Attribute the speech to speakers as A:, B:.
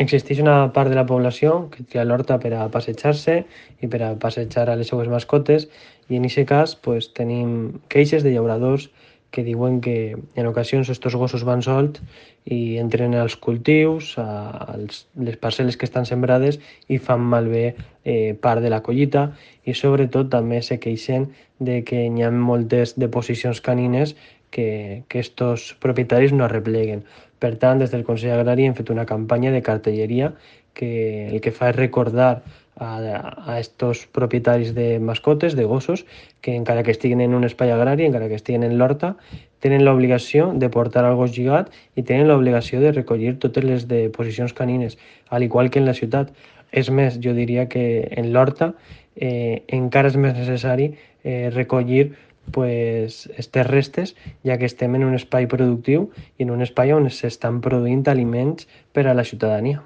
A: Existeix una part de la població que tria l'horta per a passejar-se i per a passejar a les seues mascotes, i en aquest cas pues, tenim queixes de llauradors que diuen que en ocasions estos gossos van solts i entren als cultius, a les parcel·les que estan sembrades i fan malbé part de la collita, i sobretot també se queixen de que hi ha moltes deposicions canines que estos propietaris no arrepleguen. Per tant, des del Consell Agrari hem fet una campanya de cartelleria que el que fa és recordar a estos propietaris de mascotes, de gossos, que encara que estiguin en un espai agrari, encara que estiguin en l'horta, tenen l'obligació de portar el gos lligat i tenen l'obligació de recollir totes les deposicions canines, al igual que en la ciutat. És més, jo diria que en l'horta encara és més necessari recollir pues, estes restes, ja que estem en un espai productiu i en un espai on s'estan produint aliments per a la ciutadania.